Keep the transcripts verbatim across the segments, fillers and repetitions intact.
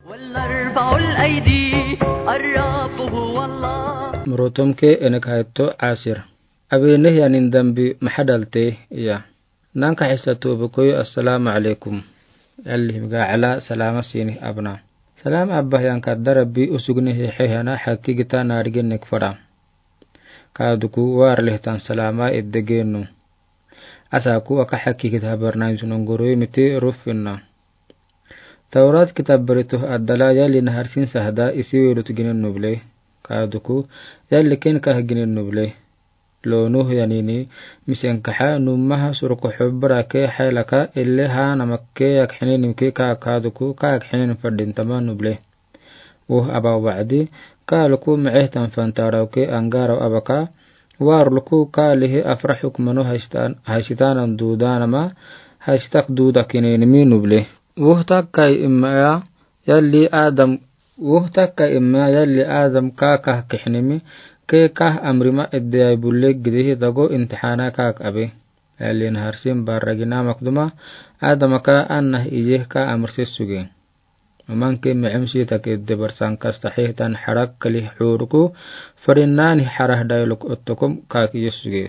والأربع الأيدي، الرب هو الله. Morotomke enek haito asir. Abenehianin dambi maxaa dhalte iya. Nanka xisa tuubi koyo, assalaamu alaykum. Yalli himga ala salaama siini abna. Salaam abba hiyan kadda Rabbi usugni hixehana xakki gita naarigin nik fara. Kaaduku waar lehtan salaama edde genu. Asaku aka xakki gita barnain sunungurui miti rufinna. Tawrat kitab barito addala yalli naharsin sahda isi wirut ginen nuble. Kaaduku yalli ken kah ginen nuble. Loo Nuh yanini misenkaxa numaha surko xubra ke xaylaka elle ha namakke yak xinenimke ka kaaduku ka yak xinen fadintama nuble. Woh aba wacdi, kaaluku mexehtan fantarawke angaraw abaka, waarluku kaalihi afra xukmano haysitanan duudanama, haysitak duuda kinenimi nuble. Woh takkai immaya, yalli Adam, woh takkai immaya, yalli Adam ka kah kixinimi, ke kah amrima eddeyay bulle gidihi dago intixaana kaak abe. Yalli naharsin barragina makduma, Adamaka annah iye ka amrse suge. Umanke mecem siitake debar sankas taxihtan xarak kali xuruku, farinnani xarah dayluk ottokom kaak iye suge.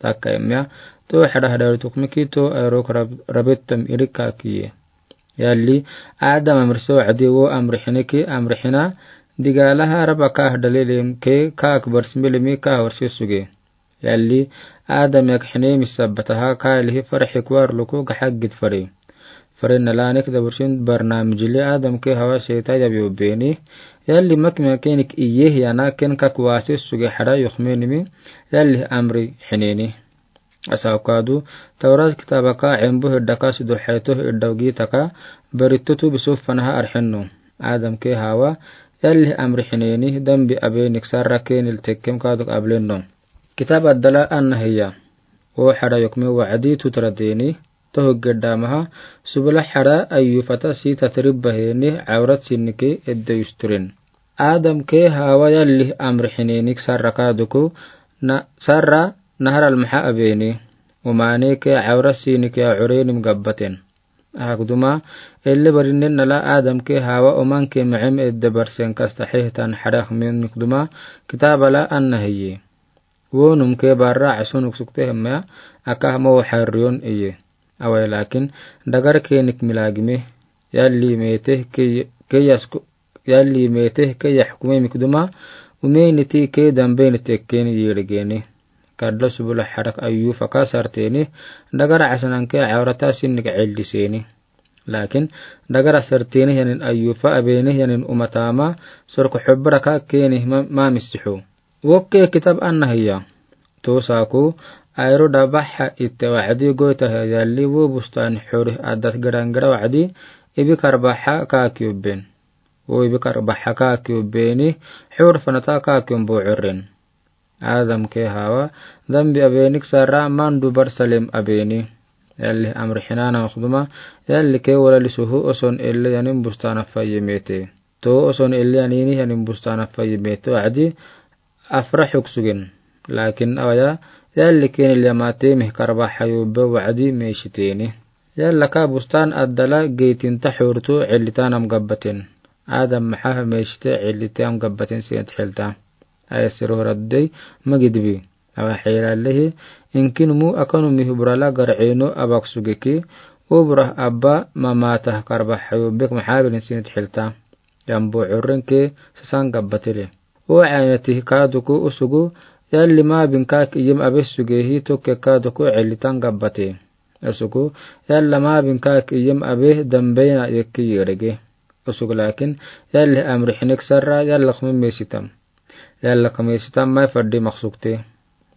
Takkai mea, to xarah dayluk miki to ayrok rab-, rabettom irik kaak iye. Yalli, Adam amrse wacdi wo amrixiniki amrixina, digalaha raba kaah dalilim ke kaak barsmilimi kaah warse suge. Yalli, Adam yak xinemi sabbataha kaalihi farxi kuwarluku gaxaggid fari. Fari nalanik dabursin barnamijli Adamke Hawa seyta yabi ubbeni. Yalli makmakenik iye hiyana ken kak wasi suge xara yuxmenimi. Yalli amri xineni. Asaw kaadu, Tawrat kitabaka cembu hiddaka sidu xeeto hiddaw giitaka, baritutu bisufanaha arxenno. Adamke Hawa, yalli amri xineni, dambi abenik sarra kenil tekkem kaaduk ablenno. Kitab addala anna hiya. Wo xara yukme wacdi tutra deni, tohug geddamaha, subula xara ayyufata si tatribba heni, awrat sinike edde yusturin. Adamke Hawa yalli amri xinenik sarra kaaduku, na, sarra naharal maxa abeni. Umaneke awrat sinike a urenim gabbaten. Ahakduma, elle barinen nala Adamke Hawa umanke mecem edde barsen kasta xehtan xarax menikduma, kitabala anna hiyi. Wonumke barra asunuk sukte hemma, aka hamo xarriyon iye. Awai lakin, dagar kenik milagime, yalli mete ke, ke yasku, yalli mete ke yaxkume mikduma, umeniti ke dambeniti ken yirgeni. Kadlo subula xarak ayyufa ka sarteni, dagar asananke awrata sinnik celdiseni. Lakin, dagar asarteni yanin ayyufa abeni yanin umatama, sorko xubra ka keni ma, ma misihu. Wokke kitab anna hiya. Tosaku, ayro dabaxa itte wacdi goyta hiya yalli wo bustan xurih addat gerangra wacdi, ibi karbaxa ka kiyubben. Wo ibi karbaxa ka kiyubbeni, xur fanata ka kiyumbo curren. Adamke Hawa, dambi abenik sarra mandu barsalem abeni. Yalli amri xinana makduma, yallike wala lisuhu oson elle yanin bustana fayye mete. To oson elle yanini yanin bustana fayye mete wacdi afra xuksugen. Lakin awaya, yallike nil yamate mih karbaxa yubbe wacdi meshiteni. Yallaka bustan addala geytinta xurtu cellitanam gabbaten. Adam maxa meshite cellite am gabbaten sent xelta. Ayesero raddey magidbi. Awa xelallehi, inkinumu akanu mihu burala garceno abak sugeki, ubrah abba mamatah karbaxa yubbek maxabelin sinit xelta. Yambo currenke sasan gabbatele. O caynatih kaaduku usugu, yalli mabin kaak iyem abe sugehi tokke kaaduku cellitan gabbate. Usugu, yalla mabin kaak iyem abe dambeyna yekki yirege. Usugu lakin, yalli amri xinik sarra yalla kumi mesitam. Yalla kumi mesitam mai faddi maksukte.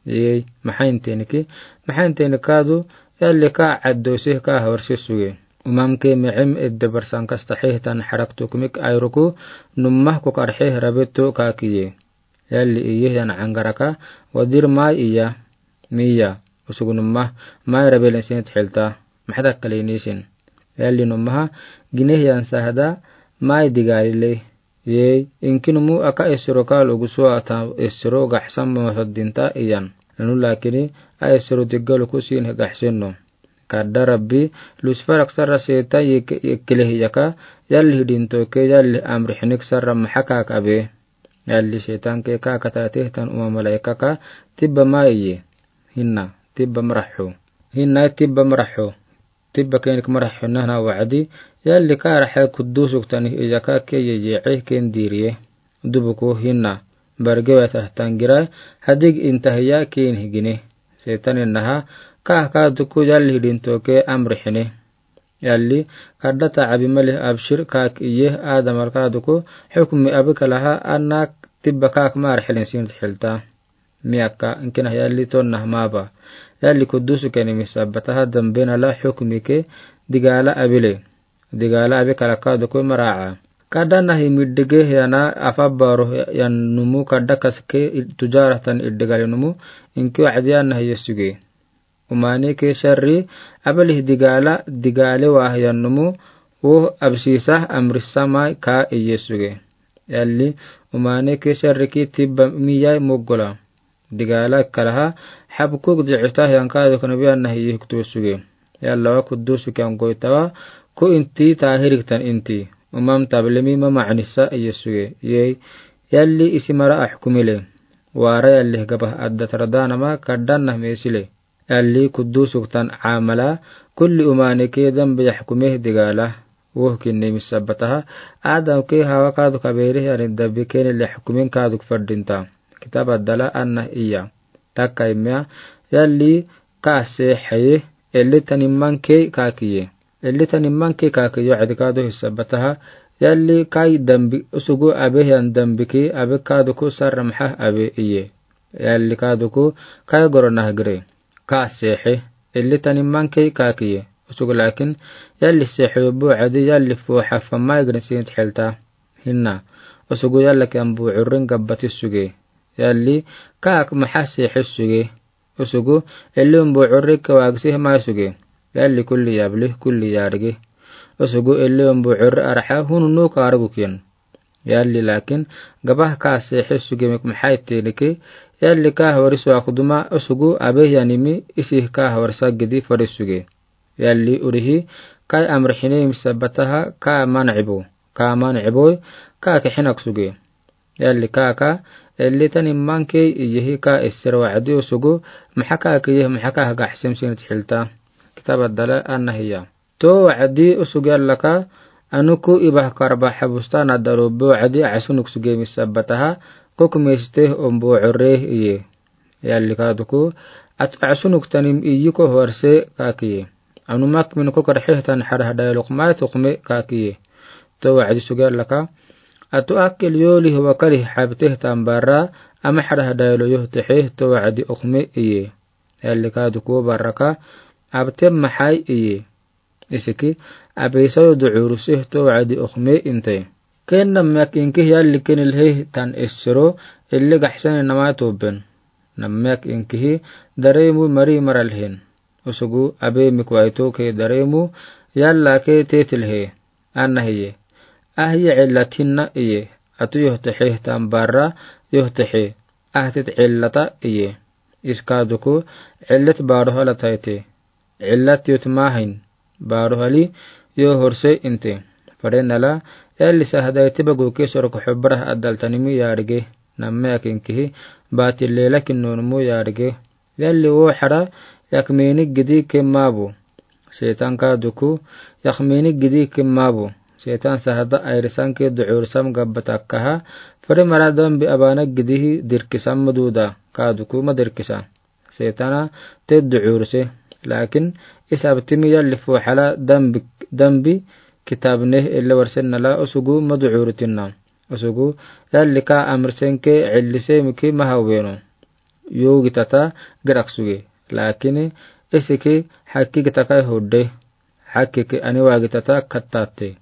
Yey, maxainteniki, maxaintenik kaadu, yalli ka caddosih ka hawarsi suge. Umamke mecem edde barsan kasta xehtan xarak tukmik ayruku, nummah kuk arxeh rabetto kaakiye. Yalli iye yan cangaraka, wadir mai iya, miya, usugu nummah, mai rabelen sinit xelta, maxadak kalinisin. Yalli nummaha, gineh yan sahda, mai digalile. Yey, inkinumu aka esero kal ugusu ata esero gaxsan mamasodinta iyan. Nanu lakini, a esero diggaluku sin gaxsenno. Kadda Rabbi, Lusifer sarra setan yek-, yekile hiya ka, yalli hidintoke, yalli amri hinik sarra maxa kak abe. Yalli setan ke ka kataateh tan uma malaika ka, tibba ma iye. Hinna, tibba maraxo. Hinna tibba maraxo. Tibba kenik maraxo nana wa'adi, yalli ka raxe kudusuk tani iya ka ke ye ye ken diriye. Dubuku hinna, barge wata tangira, hadig intahiya ken higine. Setan innaha, ka ka duku yalli hidintoke amri hine. Yalli, kadda ta abi mali abshir kak iye Adam alkaduku, hukmi abi kalaha anna tibba kak mar hilin sin hilta. Miyaka, inkina yalli tonna maba. Yalli kudusu keni misabbataha dambe nala hukmi ke digala abile. Digala abi kalakaduku mara'a. Kadda nahi middige yana afa baro yan numu kadda kaske tujaratan iddigali numu, inki wa'adi yan nahi yesuge. Umani ke sharri, abelih digala, digale wah yan numu, woh absisah amrisama ka iyesuge. Yalli, umani ke sharri ki tibba miyai mogola. Digala kalaha, habkuk di'itah yan ka duk nabi annahi yihktusuge. Yalla wa kudusu kyan goitawa, ku inti tahiriktan inti. Umam tablimi ma ma'anisa iyesuge. Yei, yalli isi mara ahkumile. Wara yalli gabah adda taradanama kaddanna mesile. Yalli kudusuk tan amala, kulli umani ke dambe yahkumeh digala. Woh kinni misabbataha, Adam ke hawa kaduk abere yani dambe keni lehkumin kaduk fardinta. Kitab addala anna iya. Takka imya, yalli ka se haye, elli tanimman ke kakiye. Elli tanimman ke kakiye adi kadu hisabbataha, yalli kai dambi usugu abe yan dambi ke abe kaduku sarra maxa abe iye. Yalli kaduku kai goro nahgire. Ka seexe, elli tanimman kei kakiye. Usugu lakin, yalli seexe yo buucadi yalli foo xafa maigrin siint xelta. Hinna, usugu yalla ke an buucurrin gabbati suge. Yalli, kaak maxa seexe suge. Usugu, elli un buucurri ke waagsi hemai suge. Yalli kulli yabli, kulli yaadigi. Usugu elli un buucurri araxa hunu nuuk aaruguk yen. Yalli lakin, gabah ka seexe suge mik maxa ittiniki, yalli ka hawari suakuduma usugu abe yanimi isi ka hawari sagidi fari suge. Yalli urihi, kai amrixine misabbataha ka mancibo, ka mancibo, ka kixinak suge. Yalli ka ka, elli tanimman kei iyehi ka isser wacdi usugu, maxa ka kiyehi maxa ka hagaxsim sinit xilta. Kitab addala anna hiya. To wacdi usugu yallaka, anuku ibah karba xabustan addaru bo wacdi axsunuk suge misabbataha, kuk misteh un buucurreh iye. Yalli kaduku, atu axsunuk tanim iyiko hwarse kakiye. Anu mak min kuk rexeh tan xarah dayluk mai tukume kakiye. To wacdi sugu yallaka, atu akil yolih wakalih xabteh tan barra, ama xarah daylo yohtexeh to wacdi ukume iye. Yalli kaduku barraka, abtem maxai iye. Isiki, abisayo ducuruseh to wacdi ukume inte. Ken nammak inkih yalli kenilheh tan issero, illi gaxsani namai tuben. Nammak inkihi, daremu mari maralhen. Usugu, abe mikwaito ke daremu, yalla ke tetilhe. Anna hiye. Ahiye cillatinna iye. Atu yohtexeh tan barra, yohtexe. Ahtit cillata iye. Iskaduku, cillat baruhala taite. Cillat yot mahin. Baruhali, yo horse inte. Farenala, yalli sahadaiti bagu ke sorok xubbarah addal tanimi yaadge. Nammak inkihi, batil lela kinnonumu yaadge. Yalli wo xara, yakminik gidi ke mabu. Setan kaduku, yakminik gidi ke mabu. Setan sahada ayrisan ke ducursam gabbatakkaha, fari mara dambi abana gidihi dirkisam maduda, kaduku madirkisa. Setana te ducurse. Lakin, isabtimi yalli fuxala dambi, dambi kitabneh ille warsennala usugu maducurtinna. Usugu, yalli ka amrsen ke cillise miki mahaweno. Yo gitata girak suge. Lakin, isiki xakki gitakai hudde. Xakkiki aniwa gitata kattatte.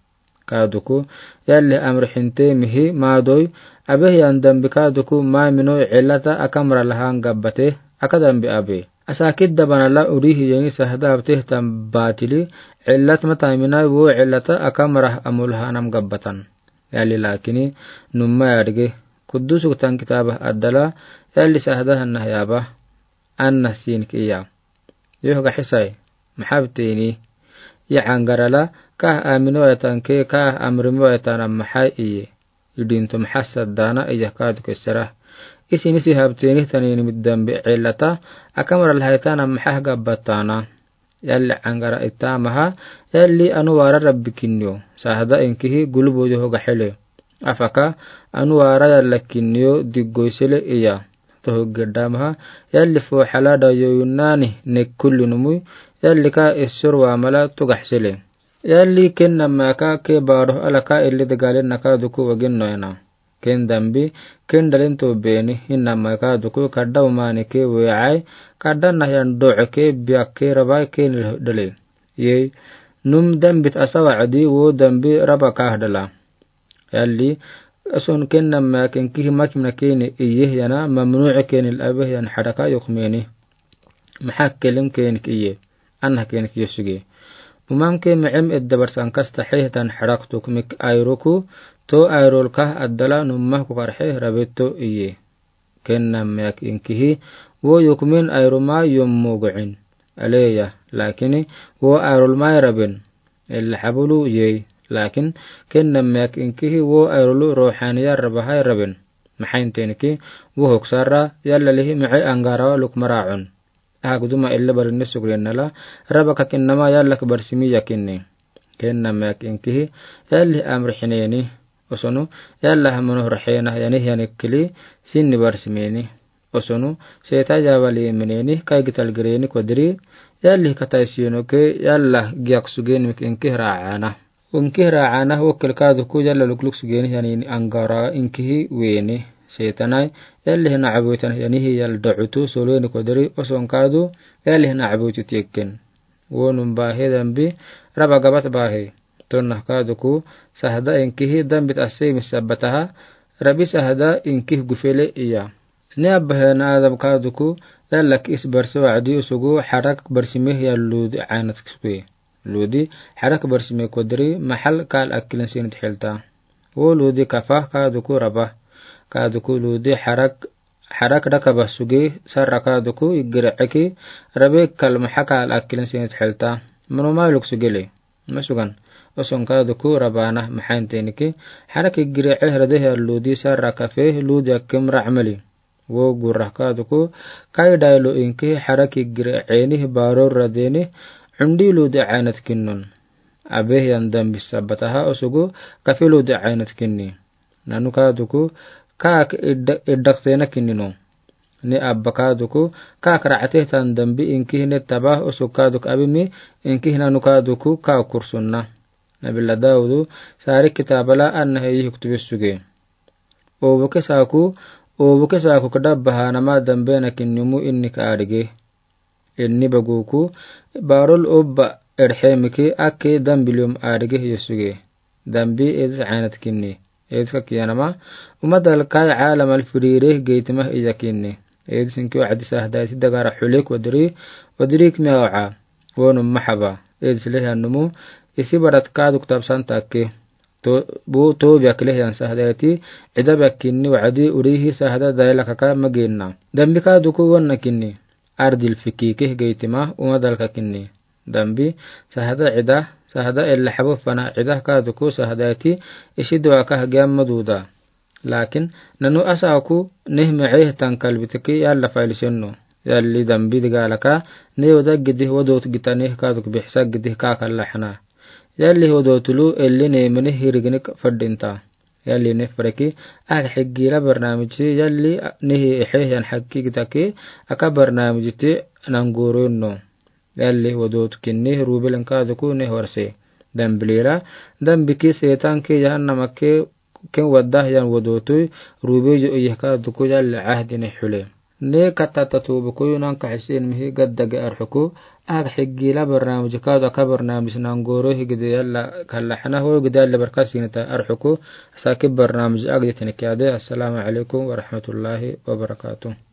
Kaduku, yalli amrixinte mihi maadoi, abe yan dambi kaduku maamino cillata akamra lahan gabbate, aka dambi abe. Asakidda banala urihi yeni sahada abteh tan batili, cillat mataaminai wo cillata akamra amul hanam gabbatan. Yalli lakini, numma yaadge, kudusuk tan kitaba addala, yalli sahada hanna yaba, anna sinki iya. Yoh gaxisai. Mahabteni. Ye aŋgara la, ka aminɔya tanke, ka amremɔya tana maha iye. Idinto maha sadana iya kadu kesera. Isi nisi habteni tani ni midambe elata, akamara lahaitana maha gabatana. Yalli aŋgara itamaha, yalli anu wara rabbi kinyo. Sahada inkihi gulubo yoho gahele. Afaka, anu wara yalla kinyo diggoisele iya. Toho gedamaha, yalli fo hala da yoyunani ne kulli numui, yalli ka esor wa mala tugahsele. Yalli ken namaka ke baro alaka illi degalen naka duku wagin noyana. Ken dambi, ken dalin to beni, hin namaka duku kadda umani ke weai, kadda nahyan do'e ke biak ke rabai ke nil dale. Yei, num dambit asawa adi wo dambi raba kah dala. Yalli, ason ken namaka inkihi makimna keni iye yana, mamnu'e keni labe yan hadaka yokmeni. Maha kelim keni iye. Anna keni ki yosuge. Umam ke me'em eddabar sankas tahe tan harak tuk mik airoku, to airol kah addala numah ku karhe rabeto iye. Ken namaka inkihi, wo yokmen airoma yom mogo'in. Aleya, lakini, wo airol mai raben. Ella habulu yei, lakin, ken namaka inkihi, wo airolu rohaniya rabahai raben. Mahain tenki, wo hoksara, yalla lihi ma'i aŋgara luk mara'un. Aha guduma ella barinni sugrinnala, raba kakinnama yalla kabarsimi yakinni. Ken namaka inkihi, yalli amri hineni. Osonu, yalla hamono rahena yani yani kili, sinni barsimeni. Osonu, seta yawali meneni, kai gital gireni kodri, yalli katai sino ke, yalla giak sugeni mik inkihi ra'ana. Inkihi ra'ana, wokil kadu ku yalla lukluk sugeni yani aŋgara inkihi weni. Setanai, yalli hina abuitan yani hi yalla da'utu, soleni kodri, oson kadu, yalli hina abuitu tieken. Wonum bahe dambi, raba gabat bahe. Tonna kadu ku, sahada inkihi dambit ase misabataha, rabi sahada inkih gufele iya. Ni abahena adam kadu ku, yalla ki is barsi wa'adi usugu, harak barsimi ya ludi ainat kisukui. Ludi, harak barsimi kodri, mahal kal akilin sinit helta. Wo ludi kafa kadu ku raba. Kadu ku ludi harak Harak dakaba suge, sarra kadu ku, igire eki, rabe kal maha kal akilin sinit helta. Manu mailuk sugele. Masugan. Oson kadu ku, rabana, mahain tenki. Harak igire eh rade ya ludi sarra kafe, ludi akim ra'mali. Wo gurra kadu ku, kai dailu inki, harak igire eni, baror radeni, undi ludi ainat kinnun. Abe yan dambi sabataha osugu, kafe ludi ainat kinni. Nanu kadu ku, kak idda-, iddaktena kinninu. Ni abba kadu ku, kak ra'ate tan dambi inkihi ne taba usuk kadu ku abimi inkihi nanu kadu ku, kak kursunna. Nabila Daudu, sari kitabala anna heyi huktubi suge. Obuke saku, obuke saku kadabaha nama dambe na kinnimu inni ka adige. Inni baguku, barol obba erhemiki ake dambilium adige yosuge. Dambi edis ainat kinni. Edis ka kiyanama, uma dalkai alam al firire geitima iya kinni. Edis inki wa'adi sahdaiti dagara hulek wadri, wadri kmiya wa'a. Wonu mahaba. Edis lehi anumu, isi barat kadu kutab santa ke. To, bu to biak lehi an sahdaiti, ida biak kinni wa'adi urihi sahda daila kaka magina. Dambi kadu ku wonna kinni. Ardil fiki keh geitima, uma dalka kinni. Dambi, sahada ida, sahada ella habo fana ida kadu ku sahadaiti, isi duwa kah giamma duda. Lakin, nanu asaku, neh me'eh tan kalbitaki yalla failisenno. Yalli dambi digalaka, ne wada gidih wadot gita neh kadu ku bihsa gidih kakalla hana. Yalli wadotulu, elli ne mene hirigini fadinta. Yalli ne faraki, ag higila barnamiji, yalli nehi ehe yan haki gitaki, aka barnamiji ti nanguru no. Yalli wadot kinni rubilan kadu ku ne horse. Dambilila, dambiki setan ki jahannama ke ken wadda yan wadotui, rubijo iyaka duku yalli ahdi ne hule. Ne katata tubu ku yunan ka hisin mihi gaddage arhuku, ag higila barnamiji kadu aka barnamiji nanguru higidi yalla kalla hana ho gidi yalla barkasinita arhuku, saki barnamiji agdi tinikyade. Assalamu alaikum wa rahmatullahi wa barakatuh.